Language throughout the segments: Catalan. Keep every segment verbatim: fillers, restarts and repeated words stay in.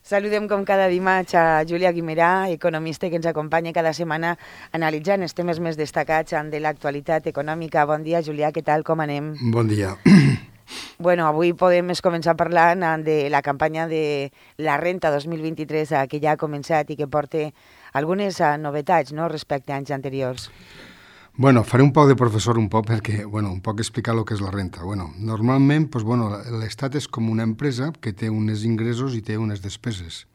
Saludem com cada dimarts a Júlia Guimerà, economista que ens acompanya cada setmana analitzant els temes més destacats de l'actualitat econòmica. Bon dia, Júlia, què tal, com anem? Bon dia. Bueno, avui podem començar parlant de la campanya de la renta dos mil vint-i-tres que ja ha començat i que porta algunes novetats, no?, respecte a anys anteriors. Bueno, faré un poc de professor un poc perquè, bueno, un poc explicar el que és la renta. Bueno, normalment, pues, bueno, l'Estat és com una empresa que té uns ingressos i té unes despeses.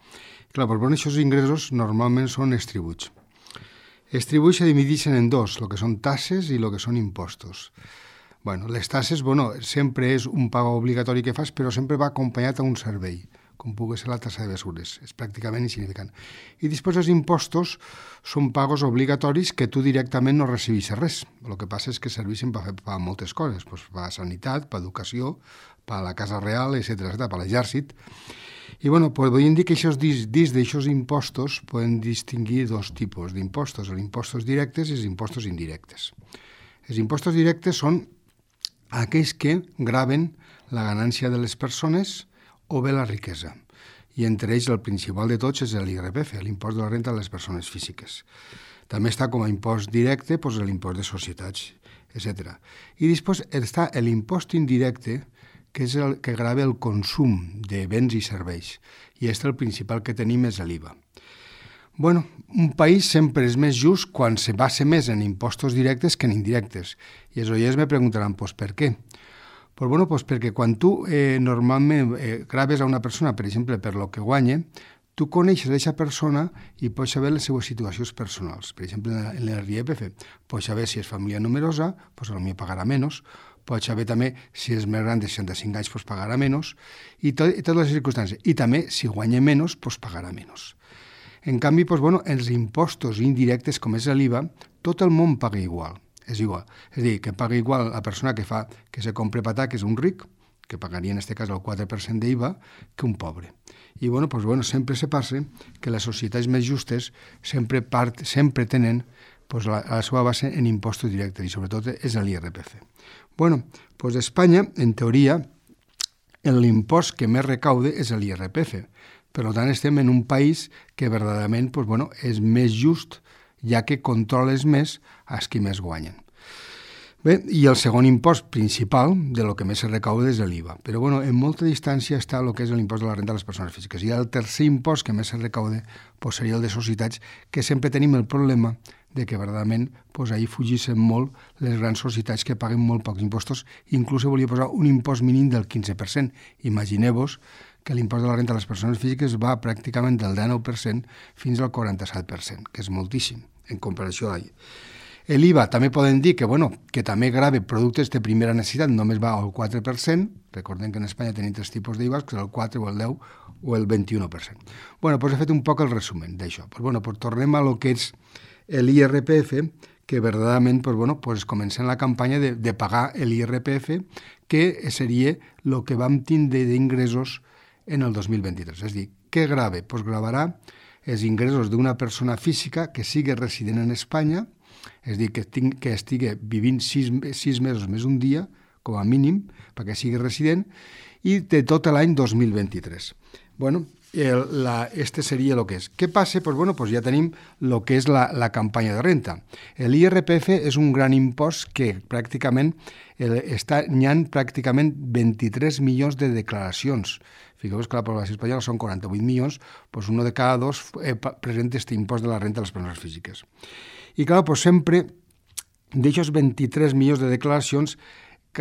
Clar, pues, bueno, aquests ingressos normalment són els tributs. Els tributs se divideixen en dos, el que són tasses i el que són impostos. Bueno, les tasses, bueno, sempre és un pago obligatori que fas, però sempre va acompanyat a un servei, com pugui ser la tassa de mesures. És pràcticament insignificant. I després els impostos són pagos obligatoris que tu directament no recibeixes res. El que passa és que serveixen per fer per moltes coses, pues, per sanitat, per educació, per la Casa Real, etcètera, per l'exèrcit. I bueno, pues, podríem dir que això, dins d'aixòs impostos poden distingir dos tipus d'impostos, els impostos directes i els impostos indirectes. Els impostos directes són aquells que graven la ganància de les persones o bé la riquesa. I entre ells el principal de tots és l'I R P F, l'impost de la renta de les persones físiques. També està com a impost directe doncs, l'impost de societats, etcètera. I després està l'impost indirecte, que és el que grava el consum de béns i serveis. I aquest el principal que tenim és l'I V A. Bueno, un país sempre és més just quan se basa més en impostos directes que en indirectes. I els oients me preguntaran, pues, per què? Pues bueno, pues perquè quan tu eh, normalment eh, graves a una persona, per exemple, per lo que guanya, tu coneixes aquesta persona i pots saber les seves situacions personals. Per exemple, en l'I R P F, pots saber si és família numerosa, pues potser pagarà menys, pots saber també si és més gran de seixanta-cinc anys, pues pagarà menys, i, tot, i totes les circumstàncies. I també, si guanya menys, pues pagarà menys. En canvi, pues bueno, els impostos indirectes, com és l'I V A, tot el món paga igual. És igual. És a dir, que paga igual la persona que fa que se compre patà, que és un ric, que pagaria en aquest cas el quatre per cent d'I V A, que un pobre. I bueno, pues bueno, sempre se passa que les societats més justes sempre, part, sempre tenen pues, la, la seva base en impostos directes i sobretot és l'I R P F. Bueno, pues Espanya, en teoria, l'impost que més recaude és l'I R P F. Per tant, estem en un país que verdaderament pues, bueno, és més just, ja que controles més els qui més guanyen. Bé, i el segon impost principal de lo que més se recauda és l'I V A. Però bueno, en molta distància està el que és l'impost de la renta de les persones físiques. I el tercer impost que més se recauda pues, seria el de societats, que sempre tenim el problema de que verdaderament pues, ahir fugissin molt les grans societats que paguen molt pocs impostos. Inclús volia posar un impost mínim del quinze per cent. Imagineu-vos que l'impost de la renta de les persones físiques va pràcticament del dinou per cent fins al quaranta-set per cent, que és moltíssim en comparació a ahir. L'I V A també podem dir que, bueno, que també grava productes de primera necessitat, només va al quatre per cent. Recordem que en Espanya tenim tres tipus d'I V A, que és el quatre o el deu o el vint-i-u per cent. Bueno, doncs he fet un poc el resumen d'això. Pues bueno, pues tornem a lo que és l'I R P F, que verdaderament pues bueno, pues comencem la campanya de, de pagar l'I R P F, que seria el que vam tindre d'ingressos en el dos mil vint-i-tres. És a dir, què grava? Pues gravarà els ingressos d'una persona física que sigui resident en Espanya, és a dir, que, ting, que estigui vivint sis, sis mesos més un dia, com a mínim, perquè sigui resident, i de tot l'any dos mil vint-i-tres. Bueno, el, la, este seria el que és. Què passa? Pues bueno, pues ja tenim el que és la, la campanya de renta. L'I R P F és un gran impost que pràcticament el, està, n'hi ha pràcticament vint-i-tres milions de declaracions. Fixeu-vos que la població espanyola són quaranta-vuit milions, doncs un de cada dos eh, presenta aquest impost de la renta de les persones físiques. I clar, doncs sempre d'aquests vint-i-tres milions de declaracions,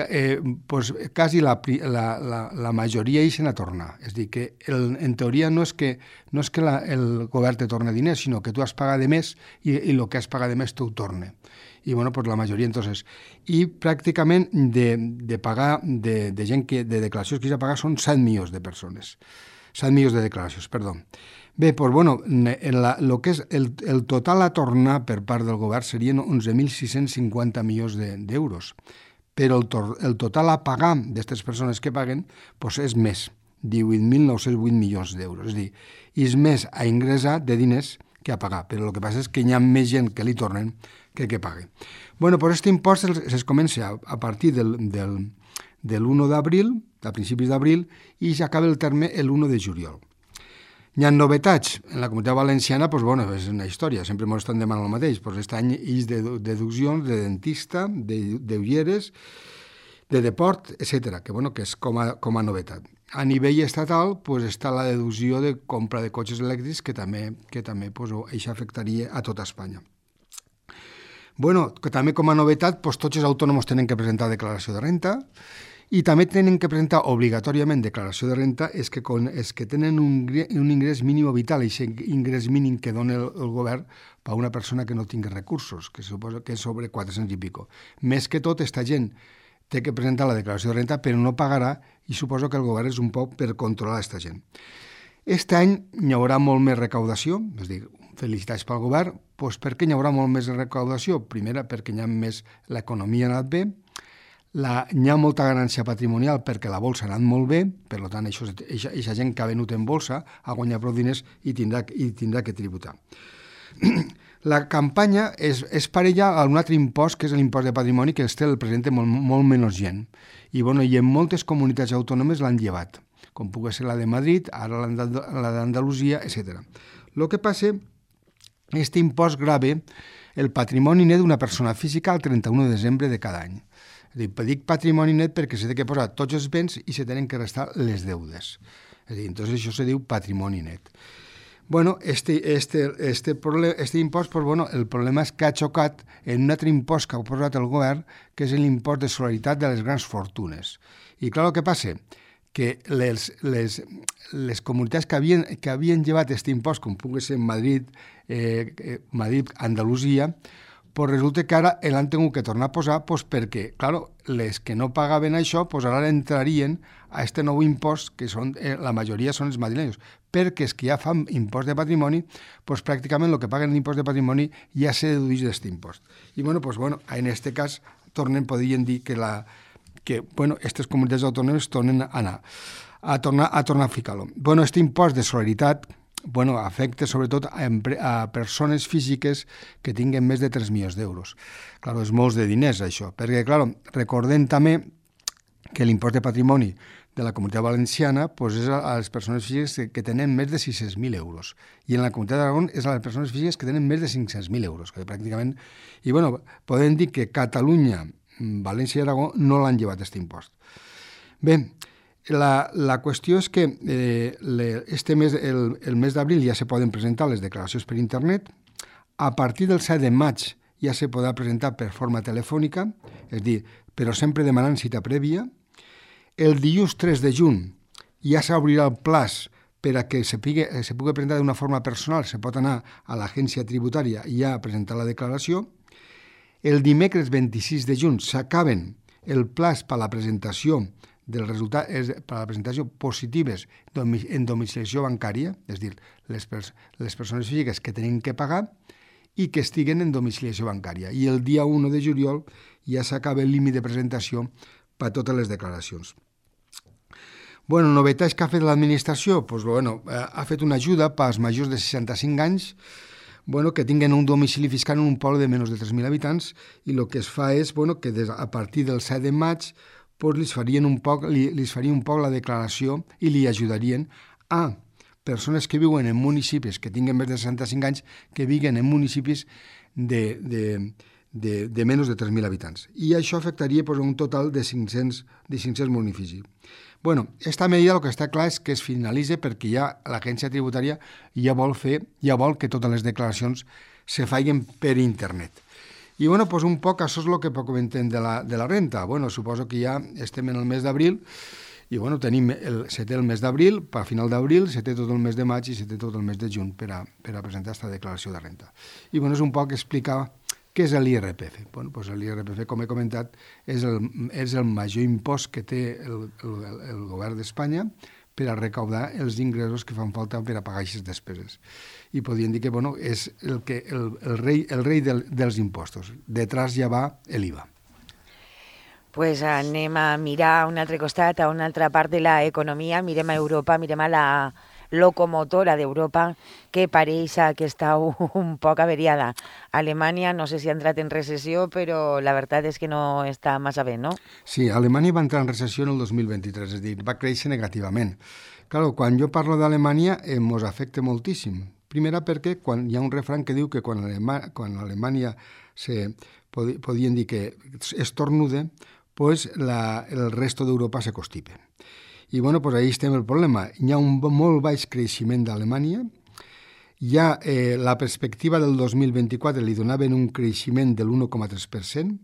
eh, doncs quasi la, la, la, la majoria ixen a tornar. És a dir, que el, en teoria no és que, no és que la, el govern te torna diners, sinó que tu has pagat de més i el que has pagat de més t'ho torna. I bueno, pues la majoria, entonces, i pràcticament de, de pagar, de, de gent que, de declaracions que s'ha pagat són set milions de persones. set milions de declaracions, perdó. Bé, doncs, bueno, la, lo que és el, el total a tornar per part del govern serien onze mil sis-cents cinquanta milions d'euros. Però el, to, el total a pagar d'aquestes persones que paguen doncs és més, divuit mil nou-cents vuit milions d'euros. És a dir, és més a ingressar de diners que a pagar, però el que passa és que hi ha més gent que li tornen que que pague. Bueno, pues este impost es comença a, a partir del, del, del u d'abril, a principis d'abril, i s'acaba el terme el u de juliol. Hi ha novetats. En la Comunitat Valenciana, doncs, bueno, és una història, sempre ens estan demanant el mateix. Doncs aquest any és de deduccions de dentista, de, d'ulleres, de deport, etcètera, que, bueno, que és com a, com a novetat. A nivell estatal doncs, està la deducció de compra de cotxes elèctrics, que també, que també doncs, això afectaria a tota Espanya. Bueno, que també com a novetat, doncs, tots els autònoms tenen que presentar declaració de renta i també tenen que presentar obligatòriament declaració de renta és que, con, és que tenen un, un ingrés mínim vital, i aquest ingrés mínim que dona el, el govern per a una persona que no tingui recursos, que suposa que és sobre quatre-cents i pico. Més que tot, aquesta gent té que presentar la declaració de renta, però no pagarà, i suposo que el govern és un poc per controlar aquesta gent. Aquest any hi haurà molt més recaudació, és a dir, felicitats pel govern, doncs per què hi haurà molt més recaudació? Primera, perquè hi ha més, l'economia ha anat bé, la, hi ha molta ganància patrimonial perquè la bolsa ha anat molt bé, per tant, això, això, això gent que ha venut en bolsa ha guanyat prou diners i tindrà, i tindrà que tributar. La campanya és, és parella a un altre impost, que és l'impost de patrimoni, que este el presenta molt, molt menys gent. I, bueno, i en moltes comunitats autònomes l'han llevat, com pugui ser la de Madrid, ara la d'Andalusia, etcètera. El que passa, aquest impost grava el patrimoni net d'una persona física el trenta-u de desembre de cada any. És a dir, dic patrimoni net perquè s'ha de posar tots els béns i se tenen que restar les deudes. És a dir, entonces això se diu patrimoni net. Bueno, este, este, este, problema, este impost, pues, bueno, el problema és que ha xocat en un altre impost que ha posat el govern, que és l'impost de solidaritat de les grans fortunes. I clar, el que passa, que les, les, les comunitats que havien, que havien llevat aquest impost, com pugui ser Madrid, eh, Madrid, Andalusia, pues resulta que ara l'han tingut que tornar a posar pues perquè, clar, les que no pagaven això, pues ara entrarien a aquest nou impost, que són, eh, la majoria són els madrilenyos, perquè els que ja fan impost de patrimoni, pues pràcticament el que paguen l'impost de patrimoni ja se dedueix d'aquest impost. I bueno, pues bueno, en aquest cas, tornen, podrien dir que la que, bueno, aquestes comunitats autònomes tornen a anar, a tornar a, tornar a ficar-lo. Bueno, aquest impost de solidaritat, bueno, afecta sobretot a, a persones físiques que tinguen més de tres milions d'euros. Clar, és molts de diners, això, perquè, clar, recordem també que l'impost de patrimoni de la Comunitat Valenciana pues, és a les persones físiques que tenen més de sis-cents mil euros. I en la Comunitat d'Aragó és a les persones físiques que tenen més de cinc-cents mil euros, que pràcticament... I, bueno, podem dir que Catalunya, València i Aragó no l'han llevat, aquest impost. Bé, la, la qüestió és que eh, le, este mes, el, el mes d'abril ja se poden presentar les declaracions per internet. A partir del set de maig ja se podrà presentar per forma telefònica, és a dir, però sempre demanant cita prèvia. El dilluns tres de juny ja s'obrirà el plaç per a que se pugui, se pugui presentar d'una forma personal, se pot anar a l'agència tributària i ja presentar la declaració. El dimecres vint-i-sis de juny s'acaben el plaç per a la presentació dels resultats, per a la presentació positives en domiciliació bancària, és a dir, les, pers les persones físiques que tenen que pagar i que estiguen en domiciliació bancària. I el dia u de juliol ja s'acaba el límit de presentació per a totes les declaracions. Bueno, novetats que ha fet l'administració? Pues, bueno, ha fet una ajuda per als majors de seixanta-cinc anys, bueno, que tinguen un domicili fiscal en un poble de menys de tres mil habitants, i el que es fa és bueno, que des, a partir del set de maig pues, li farien un poc, li, li faria un poc la declaració i li ajudarien a persones que viuen en municipis que tinguen més de seixanta-cinc anys, que viguen en municipis de, de, de, de menys de tres mil habitants. I això afectaria pues, un total de cinc-cents, de cinc-cents municipis. Bueno, esta medida el que està clar és que es finalitza perquè ja l'agència tributària ja vol fer, ja vol que totes les declaracions se facin per internet. I bueno, pues un poc això és el que comentem de la, de la renta. Bueno, suposo que ja estem en el mes d'abril i bueno, tenim el, se té el mes d'abril, a final d'abril, se té tot el mes de maig i se té tot el mes de juny per a, per a presentar aquesta declaració de renta. I bueno, és un poc explicar què és l'I R P F? Bueno, doncs l'I R P F, com he comentat, és el, és el major impost que té el, el, el govern d'Espanya per a recaudar els ingressos que fan falta per a pagar aquestes despeses. I podríem dir que bueno, és el, que, el, el rei, el rei del, dels impostos. Detrás ja va l'I V A. Pues anem a mirar a un altre costat, a una altra part de l'economia, mirem a Europa, mirem a la locomotora d'Europa, que pareix que està un poc averiada. Alemanya, no sé si ha entrat en recessió, però la veritat és que no està massa bé, no? Sí, Alemanya va entrar en recessió en el dos mil vint-i-tres, és a dir, va créixer negativament. Clar, quan jo parlo d'Alemanya, eh, mos afecta moltíssim. Primera perquè quan hi ha un refrany que diu que quan, Alema, quan Alemanya se, pod, podien dir que estornude, pues la, el resto d'Europa se constipe. I bueno, pues ahí estem el problema. Hi ha un molt baix creixement d'Alemanya, hi ha eh, la perspectiva del dos mil vint-i-quatre, li donaven un creixement de l'u coma tres per cent,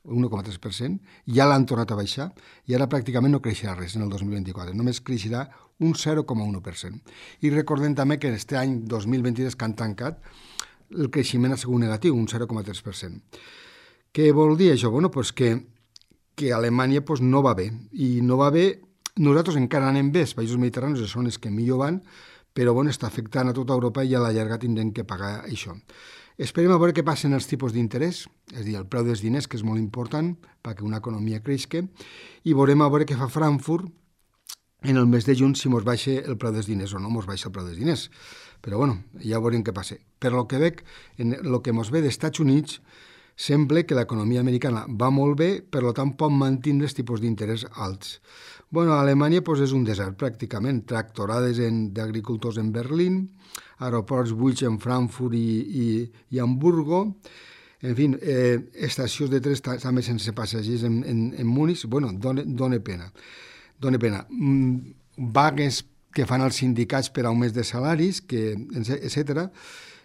un coma tres per cent, ja l'han tornat a baixar i ara pràcticament no creixerà res en el dos mil vint-i-quatre, només creixerà un zero coma u per cent. I recordem també que aquest any dos mil vint-i-tres que han tancat, el creixement ha sigut negatiu, un zero coma tres per cent. Què vol dir això? Bueno, pues que, que Alemanya pues, no va bé, i no va bé, nosaltres encara anem bé, els països mediterranis són els que millor van, però bueno, està afectant a tota Europa i a la llarga tindrem que pagar això. Esperem a veure què passen els tipus d'interès, és a dir, el preu dels diners, que és molt important perquè una economia creixi, i veurem a veure què fa Frankfurt en el mes de juny si mos baixa el preu dels diners o no mos baixa el preu dels diners. Però bueno, ja veurem què passa. Per lo que veig, en el que mos ve dels Estats Units, sembla que l'economia americana va molt bé, per tant pot mantenir els tipus d'interès alts. Bueno, a Alemanya pues, és un desert, pràcticament. Tractorades d'agricultors en Berlín, aeroports buits en Frankfurt i, i, i Hamburgo, en fi, eh, estacions de tren també sense passatgers en, en, en Múnich. Bueno, dona, dona pena. Dona pena. Mm, vagues que fan els sindicats per augments de salaris, que, etcètera.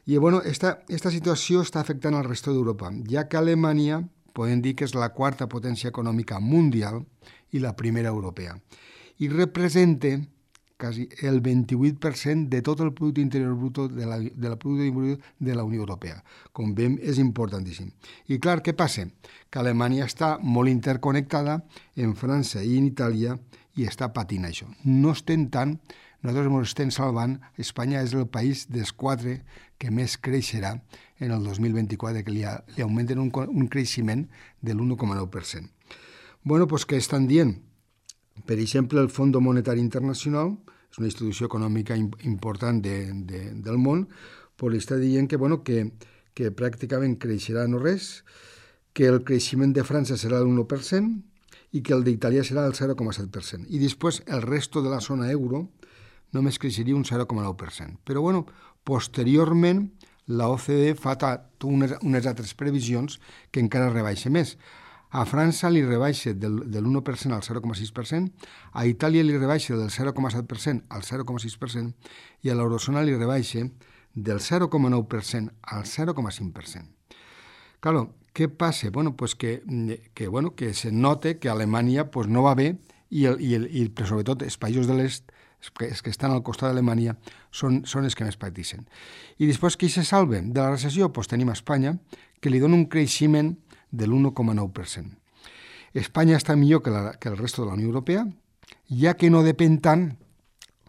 I bueno, esta, esta situació està afectant al resto d'Europa, ja que Alemanya podem dir que és la quarta potència econòmica mundial i la primera europea. I representa quasi el vint-i-vuit per cent de tot el producte interior brut de la, de la producte interior de la Unió Europea. Com veiem, és importantíssim. I clar, què passa? Que Alemanya està molt interconnectada en França i en Itàlia i està patint això. No estem tant, nosaltres ens estem salvant. Espanya és el país dels quatre que més creixerà en el dos mil vint-i-quatre, que li, ha, li augmenten un, un creixement de l'u coma nou per cent. Bueno, doncs què estan dient? Per exemple, el Fons Monetari Internacional, és una institució econòmica important de, de, del món, però està dient que, bueno, que, que pràcticament creixerà no res, que el creixement de França serà l'u per cent i que el d'Itàlia serà el zero coma set per cent. I després el resto de la zona euro només creixeria un zero coma nou per cent. Però, bueno, posteriorment, la O C D E fa unes, unes altres previsions que encara rebaixa més. A França li rebaixa del, de l'u per cent al zero coma sis per cent, a Itàlia li rebaixa del zero coma set per cent al zero coma sis per cent i a l'eurozona li rebaixa del zero coma nou per cent al zero coma cinc per cent. Claro, què passa? Bueno, pues que, que, bueno, que se nota que Alemanya pues, no va bé i, el, i, el, i sobretot els països de l'est, els que estan al costat d'Alemanya, són, són els que més pateixen. I després, qui se salva de la recessió? Pues tenim Espanya, que li dona un creixement de l'u coma nou per cent. Espanya està millor que, la, que el resto de la Unió Europea, ja que no depèn tant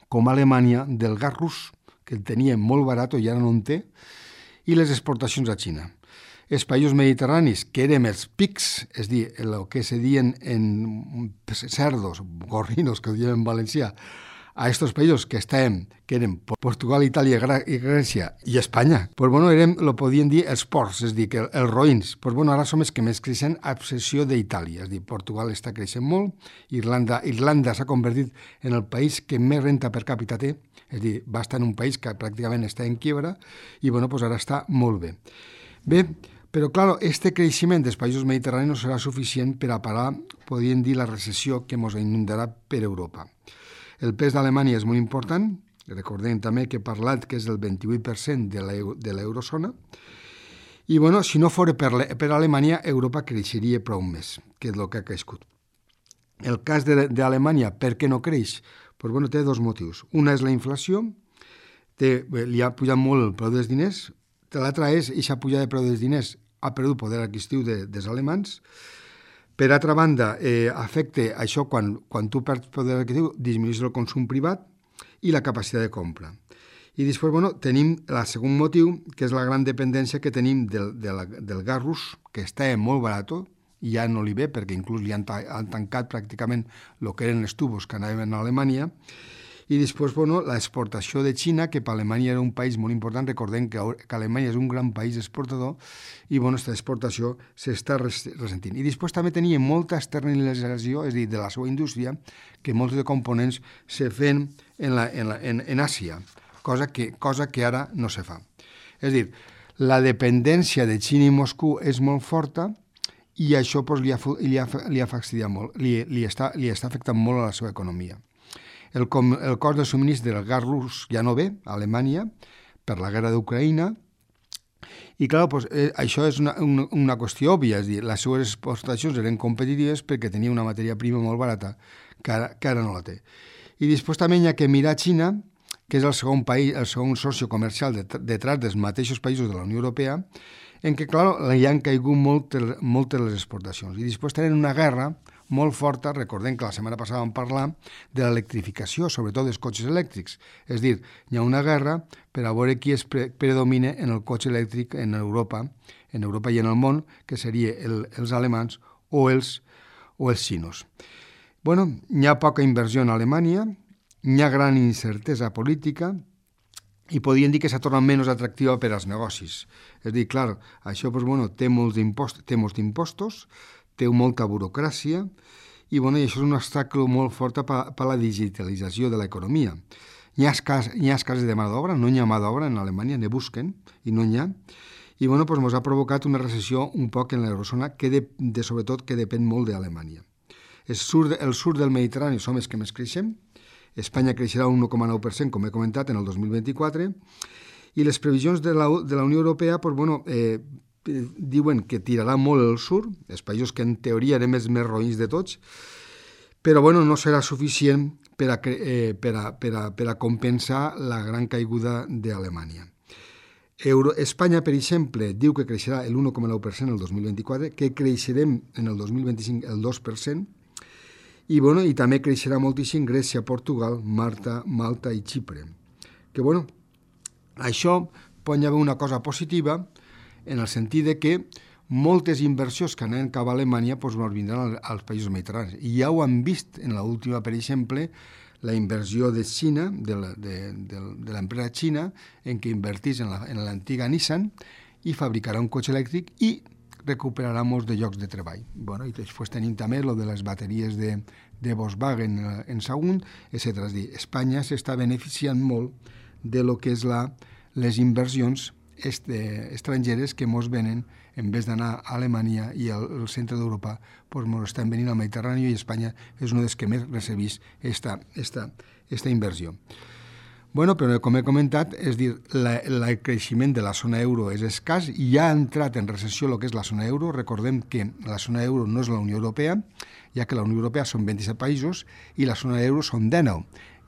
com Alemanya del gas rus, que el tenia molt barat i ara no en té, i les exportacions a Xina. Els països mediterranis, que érem els pics, és a dir, el que se diuen en cerdos, gorrinos, que ho diuen en valencià, a estos països que estàvem, que eren Portugal, Itàlia i Grècia i Espanya, pues bueno, érem, lo podien dir els ports, és a dir, que els roïns, pues bueno, ara som els que més creixen a excepció d'Itàlia, és a dir, Portugal està creixent molt, Irlanda, Irlanda s'ha convertit en el país que més renta per càpita té, és a dir, va estar en un país que pràcticament està en quiebra i bueno, pues ara està molt bé. Bé, però clar, este creixement dels països mediterranis no serà suficient per a parar, podríem dir, la recessió que ens inundarà per Europa. El pes d'Alemanya és molt important, recordem també que he parlat que és el vint-i-vuit per cent de l'eurozona, i bueno, si no fos per, per Alemanya, Europa creixeria prou més, que és el que ha crescut. El cas d'Alemanya, per què no creix? Pues, bueno, té dos motius. Una és la inflació, té, li ha pujat molt el preu dels diners, l'altra és, aquesta pujada de preu dels diners ha perdut poder adquisitiu de, dels alemans. Per altra banda, eh, afecta això quan, quan tu perds poder adquisitiu, disminueix el consum privat i la capacitat de compra. I després, bueno, tenim el segon motiu, que és la gran dependència que tenim del, de la, del gas rus, que està molt barat, i ja no li ve, perquè inclús li han, ta han tancat pràcticament el que eren els tubos que anaven a Alemanya. I després, bueno, l'exportació de Xina, que per Alemanya era un país molt important. Recordem que, que Alemanya és un gran país exportador i, bueno, aquesta exportació s'està ressentint. I després també tenia molta externalització, és a dir, de la seva indústria, que molts de components se fan en, la, en, la, en, en Àsia, cosa que, cosa que ara no se fa. És a dir, la dependència de Xina i Moscou és molt forta i això pues, li, ha, li, ha, li ha fastidiat molt, li, li, està, li està afectant molt a la seva economia. El, com, el cost de subministre del gas rus ja no ve a Alemanya per la guerra d'Ucraïna i, clar, pues, eh, això és una, una, una qüestió òbvia, és a dir, les seves exportacions eren competitives perquè tenia una matèria prima molt barata que ara, que ara no la té. I després també hi ha que mirar Xina, que és el segon país, el segon soci comercial detrás dels mateixos països de la Unió Europea, en què, clar, hi han caigut moltes, moltes les exportacions. I després tenen una guerra molt forta, recordem que la setmana passada vam parlar de l'electrificació, sobretot dels cotxes elèctrics. És a dir, hi ha una guerra per a veure qui es pre predomina en el cotxe elèctric en Europa, en Europa i en el món, que seria el, els alemans o els, o els xinos. Bueno, hi ha poca inversió en Alemanya, hi ha gran incertesa política i podríem dir que s'ha tornat menys atractiva per als negocis. És a dir, clar, això pues, bueno, té molts impostos, té molts impostos, té molta burocràcia i, bueno, i això és un obstacle molt fort per, per la digitalització de l'economia. Hi ha, escàs, hi ha escasses de mà d'obra, no hi ha mà d'obra en Alemanya, ne busquen i no n'hi ha. I, bueno, pues, ens ha provocat una recessió un poc en l'eurozona que, de, de, sobretot, que depèn molt d'Alemanya. El sud, el sud del Mediterrani som els que més creixem, Espanya creixerà un un coma nou per cent, com he comentat, en el dos mil vint-i-quatre, i les previsions de la, de la Unió Europea pues, bueno, eh, diuen que tirarà molt el sud, els països que en teoria eren els més roïns de tots, però bueno, no serà suficient per a, eh, per a, per a, per a compensar la gran caiguda d'Alemanya. Euro, Espanya, per exemple, diu que creixerà el un coma nou per cent el dos mil vint-i-quatre, que creixerem en el dos mil vint-i-cinc el dos per cent, i, bueno, i també creixerà moltíssim Grècia, Portugal, Malta, Malta i Xipre. Que, bueno, això pot haver una cosa positiva en el sentit de que moltes inversions que anen cap a Alemanya pues, vindran als països mediterranis. I ja ho han vist en l'última, per exemple, la inversió de Xina, de l'empresa Xina, en què invertís en l'antiga Nissan i fabricarà un cotxe elèctric i recuperarà molts de llocs de treball. Bueno, i després tenim també lo de les bateries de, de Volkswagen en Sagunt, etcètera. És a dir, Espanya s'està beneficiant molt de lo que és la, les inversions este, estrangeres que mos venen, en vez d'anar a Alemanya i al, al centre d'Europa, pues mos estan venint al Mediterrani i Espanya és un dels que més recebís esta, esta, esta inversió. Bueno, però com he comentat, és dir, la, la, el creixement de la zona euro és escàs i ja ha entrat en recessió el que és la zona euro. Recordem que la zona euro no és la Unió Europea, ja que la Unió Europea són vint-i-set països i la zona euro són dinou.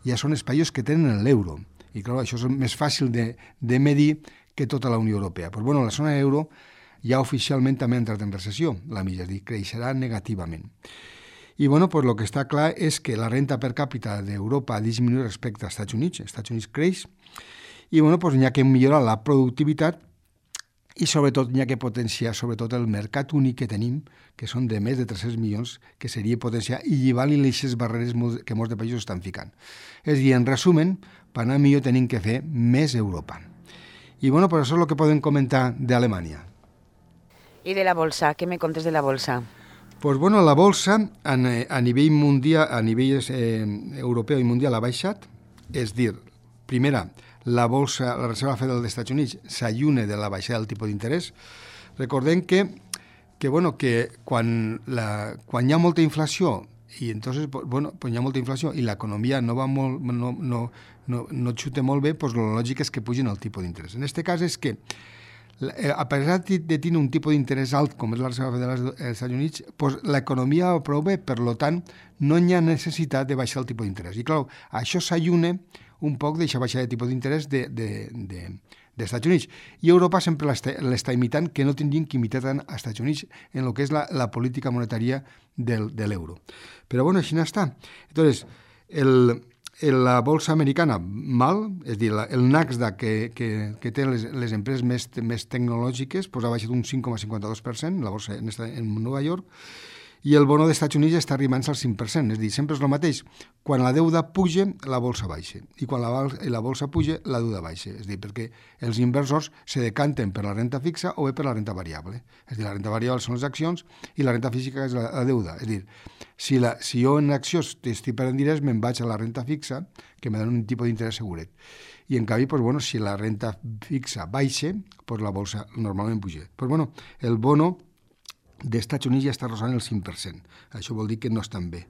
Ja són els països que tenen l'euro. I clar, això és més fàcil de, de medir que tota la Unió Europea. Però bueno, la zona euro ja oficialment també ha entrat en recessió, la mitja, és dir, creixerà negativament. I bueno, pues lo que està clar és que la renta per càpita d'Europa ha disminuït respecte als Estats Units. Els Estats Units creix i bueno, pues hi ha que millorar la productivitat i sobretot hi ha que potenciar sobretot el mercat únic que tenim, que són de més de tres-cents milions, que seria potenciar i llivar-li les barreres que molts de països estan ficant. És a dir, en resumen, per anar millor tenim que fer més Europa. I bueno, pues això és el que podem comentar d'Alemanya. I de la bolsa, què me contes de la bolsa? Pues bueno, la bolsa a, a nivell mundial, a nivell eh, europeu i mundial ha baixat, és dir, primera, la bolsa, la Reserva Federal dels Estats Units s'allunya de la baixada del tipus d'interès. Recordem que, que, bueno, que quan, la, quan hi ha molta inflació i entonces, bueno, pues hi ha molta inflació i l'economia no va molt, no, no, no, no xuta molt bé, pues la lògica és que pugin el tipus d'interès. En aquest cas és que a pesar de tenir un tipus d'interès alt, com és la Reserva Federal dels Estats Units, pues l'economia va prou bé, per tant, no hi ha necessitat de baixar el tipus d'interès. I clar, això s'allunya un poc d'aquesta baixada de tipus d'interès de, de, de, dels Estats Units. I Europa sempre l'està imitant, que no tindrien que imitar tant als Estats Units en el que és la, la política monetària del, de l'euro. Però bueno, així n'està. Entonces, el... la bolsa americana, mal, és a dir, el Nasdaq que, que, que té les, les empreses més, més tecnològiques pues ha baixat un cinc coma cinquanta-dos per cent, la bolsa en, esta, en Nova York, I el bono dels Estats Units està arribant al cinc per cent, és a dir, sempre és el mateix. Quan la deuda puja, la bolsa baixa, i quan la, la bolsa puja, la deuda baixa. És a dir, perquè els inversors se decanten per la renta fixa o bé per la renta variable. És a dir, la renta variable són les accions i la renta física és la, la deuda. És a dir, si, la, si jo en accions estic perdent diners, me'n vaig a la renta fixa, que me dona un tipus d'interès seguret. I en canvi, pues, bueno, si la renta fixa baixa, pues, la bolsa normalment puja. Pues, bueno, el bono d'Estats Units ja està rosant el cinc per cent. Això vol dir que no estan bé.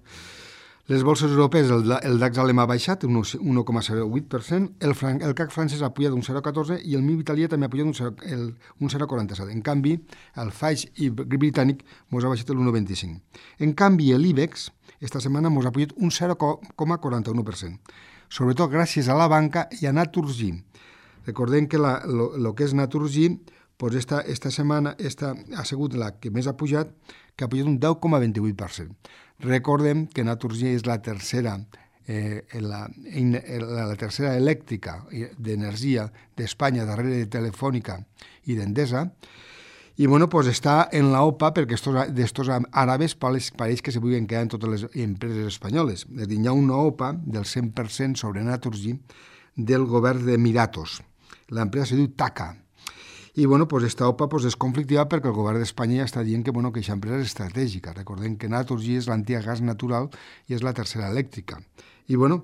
Les bolses europees, el, el DAX alemà ha baixat un un coma zero vuit per cent, el, fran, el C A C francès ha pujat un zero coma catorze i el M I B italià també ha pujat un zero coma quaranta set. En canvi, el F A I i britànic mos ha baixat l'un coma vint-i-cinc. En canvi, l'IBEX esta setmana mos ha pujat un zero coma quaranta u per cent. Sobretot gràcies a la banca i a Naturgy. Recordem que la, lo, lo que és Naturgy, pues esta, esta setmana esta ha sigut la que més ha pujat, que ha pujat un deu coma vint-i-vuit per cent. Recordem que Naturgy és la tercera, eh, la, la, la tercera elèctrica d'energia d'Espanya, darrere de Telefònica i d'Endesa, i bueno, pues està en la O P A perquè d'estos àrabes pareix, pareix que se vulguin quedar en totes les empreses espanyoles. És a dir, hi ha una O P A del cent per cent sobre Naturgy del govern d'Emiratos. L'empresa se diu TAQA. I bueno, pues esta O P A pues, és conflictiva perquè el govern d'Espanya ja està dient que bueno, que aquesta empresa és estratègica. Recordem que Naturgy és l'antiga gas natural i és la tercera elèctrica. I bueno,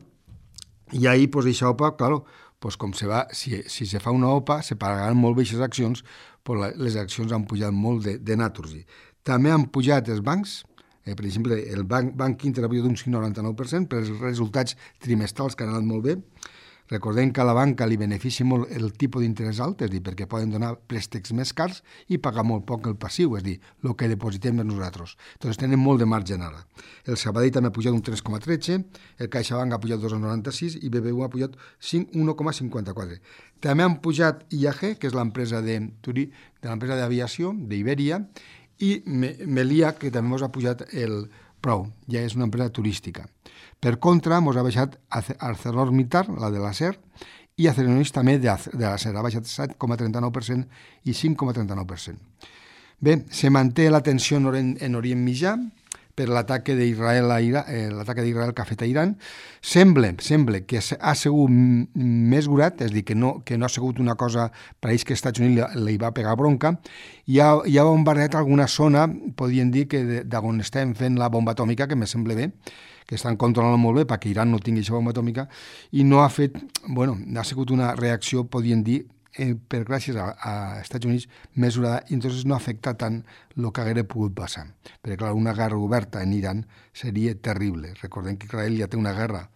i ahí pues aquesta O P A, claro, pues com se va, si, si se fa una O P A, se pagaran molt bé aquestes accions, pues la, les accions han pujat molt de, de Naturgy. També han pujat els bancs, eh, per exemple, el banc, banc Inter ha pujat un cinc coma noranta-nou per cent per els resultats trimestrals que han anat molt bé. Recordem que a la banca li beneficia molt el tipus d'interès alt, és a dir, perquè poden donar préstecs més cars i pagar molt poc el passiu, és a dir, el que depositem per nosaltres. Doncs tenen molt de marge ara. El Sabadell també ha pujat un tres coma tretze, el CaixaBank ha pujat dos coma noranta-sis i B B V ha pujat un coma cinquanta-quatre. També han pujat I A G, que és l'empresa de, de l'empresa d'aviació, d'Iberia, i Melia, que també ens ha pujat el Prou, ja és una empresa turística. Per contra, ens ha baixat ArcelorMittal, la de l'acer, i Acerinox també de l'acer, ha baixat set coma trenta-nou per cent i cinc coma trenta-nou per cent. Bé, se manté la tensió en, en Orient Mitjà per l'atac d'Israel a Iran, eh, l'atac d'Israel que ha fet a Iran. Sembla, sembla que ha sigut més gurat, és a dir, que no, que no ha sigut una cosa, pareix que als Estats Units li va pegar bronca, i ha, i ha bombardeat alguna zona, podien dir que d'on estem fent la bomba atòmica, que me sembla bé, que estan controlant molt bé perquè Iran no tingui aquesta bomba atòmica, i no ha fet, bueno, ha sigut una reacció, podien dir, eh, per gràcies a, a Estats Units mesurada, i entonces no afecta tant el que haguera pogut passar. Perquè, clar, una guerra oberta en Iran seria terrible. Recordem que Israel ja té una guerra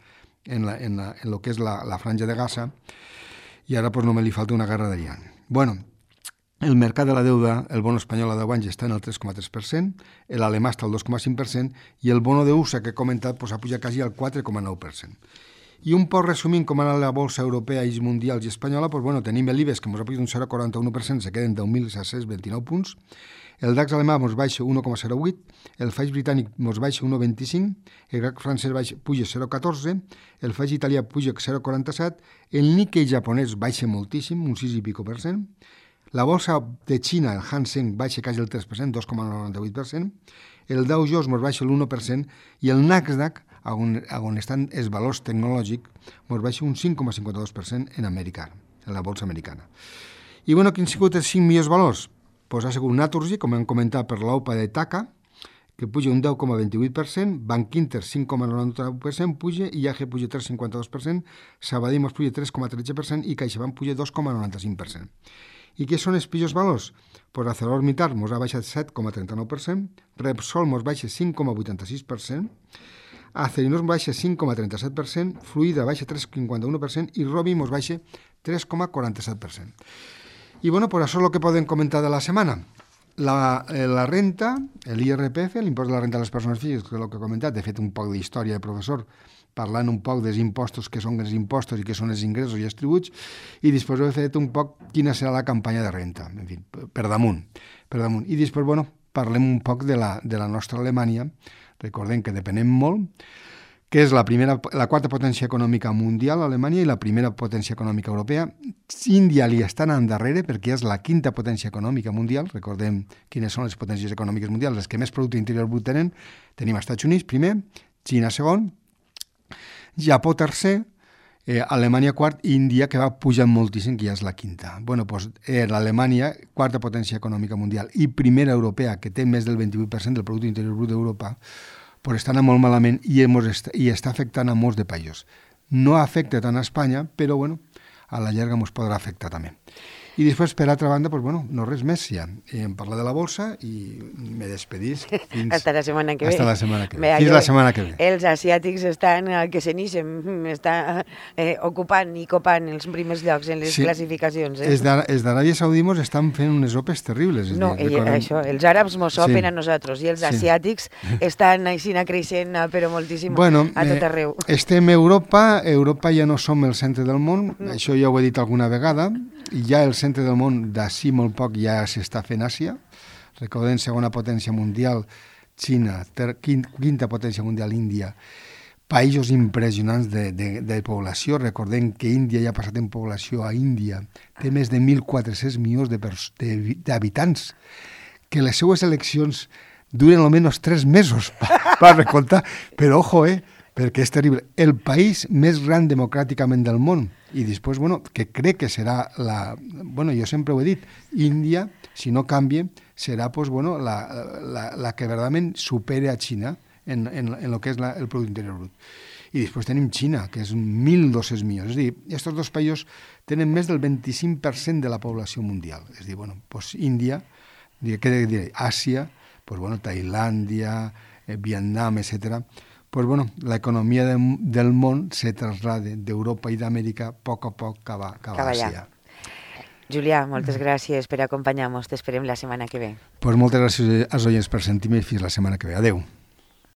en, la, en, la, en lo que és la, la franja de Gaza, i ara pues, només li falta una guerra d'Iran. Bueno, el mercat de la deuda, el bono espanyol a deu anys està en el tres coma tres per cent, l'alemà està al dos coma cinc per cent i el bono d'U S A que he comentat pues, ha pujat quasi al quatre coma nou per cent. I un poc resumint com ha anat la bolsa europea i mundials i espanyola, pues, bueno, tenim l'IBEX que ens ha pujat un zero coma quaranta-u per cent, se queden deu mil set-cents vint-i-nou punts, el DAX alemà ens baixa un coma zero vuit, el F A I britànic ens baixa un coma vint-i-cinc, el C A C francès baixa, puja zero coma catorze, el F A I italià puja zero coma quaranta-set, el Nikkei japonès baixa moltíssim, un sis i pico per cent, la bolsa de Xina, el Hang Seng, baixa quasi el tres per cent, dos coma noranta-vuit per cent, el Dow Jones ens baixa l'u per cent i el Nasdaq, on, on estan els valors tecnològics, ens baixa un cinc coma cinquanta-dos per cent en Amèrica, en la bolsa americana. I bueno, quins han sigut els cinc millors valors? Pues ha sigut Naturgy, com hem comentat, per l'O P A de TAQA, que puja un deu coma vint-i-vuit per cent, Bank Inter cinc coma noranta-nou per cent puja, I A G puja tres coma cinquanta-dos per cent, Sabadell puja tres coma tretze per cent i CaixaBank puja dos coma noranta-cinc per cent. I què són els pitjors valors? Pues ArcelorMittal ens ha baixat set coma trenta-nou per cent, Repsol ens baixa cinc coma vuitanta-sis per cent, Acerinox baixa cinc coma trenta-set per cent, Fluida baixa tres coma cinquanta-u per cent i Robi ens baixa tres coma quaranta-set per cent. I bueno, pues això és el que podem comentar de la setmana. La, la renta, l'I R P F, l'impost de la renta de les persones físiques, que és el que he comentat, he fet un poc d'història de professor, parlant un poc dels impostos, que són els impostos i que són els ingressos i els tributs, i després he fet un poc quina serà la campanya de renta, en fi, per damunt. Per damunt. I després, bueno, parlem un poc de la, de la nostra Alemanya, recordem que depenem molt, que és la, primera, la quarta potència econòmica mundial, Alemanya, i la primera potència econòmica europea. Índia li està anant darrere perquè és la quinta potència econòmica mundial. Recordem quines són les potències econòmiques mundials, les que més producte interior brut tenen. Tenim els Estats Units primer, Xina segon, Japó tercer, eh, Alemanya quart, i Índia, que va pujant moltíssim, que ja és la quinta. Bueno, doncs eh, l'Alemanya, quarta potència econòmica mundial, i primera europea, que té més del vint-i-vuit per cent del producte interior brut d'Europa, doncs està anant molt malament i, hemos est i està afectant a molts de països. No afecta tant a Espanya, però bueno, a la llarga ens podrà afectar també. I després, per altra banda, pues, bueno, no res més ja. Hem parlat de la bolsa i me despedís fins... Hasta la setmana que ve. Hasta la setmana que ve. Fins la setmana que ve. Els asiàtics estan eh, que se n'ixen, estan eh, ocupant i copant els primers llocs en les sí. classificacions. Eh? Els d'Aràbia Saudí mos estan fent unes opes terribles. No, dir, recordem... això, els àrabs mos sopen sí. a nosaltres i els sí. asiàtics estan així creixent, però moltíssim bueno, a tot arreu. Eh, estem a Europa, Europa ja no som el centre del món, no. Això ja ho he dit alguna vegada, i ja el centre del món d'ací molt poc ja s'està fent Àsia. Recordem, segona potència mundial, Xina, ter, quinta potència mundial, Índia. Països impressionants de, de, de població. Recordem que Índia ja ha passat en població a Índia. Té més de mil quatre-cents milions d'habitants. Que les seues eleccions duren almenys tres mesos per recoltar. Però, ojo, eh, perquè és terrible. El país més gran democràticament del món. I després, bueno, que crec que serà la... Bueno, jo sempre ho he dit, Índia, si no canvia, serà pues, bueno, la, la, la que verdaderament supere a Xina en, en, en el que és la, el producte interior brut. I després tenim Xina, que és mil dos-cents milions. És a dir, aquests dos països tenen més del vint-i-cinc per cent de la població mundial. És a dir, bueno, pues Índia, què diré, Àsia, pues, bueno, Tailàndia, eh, Vietnam, etcètera. Pues bueno, la economía de, del món se traslade d'Europa i d'Amèrica a poc a poc cap a, cap a Àsia. Julià, moltes gràcies per acompanyar-nos. T'esperem la setmana que ve. Pues moltes gràcies als oients per sentir-me i fins la setmana que ve. Adéu.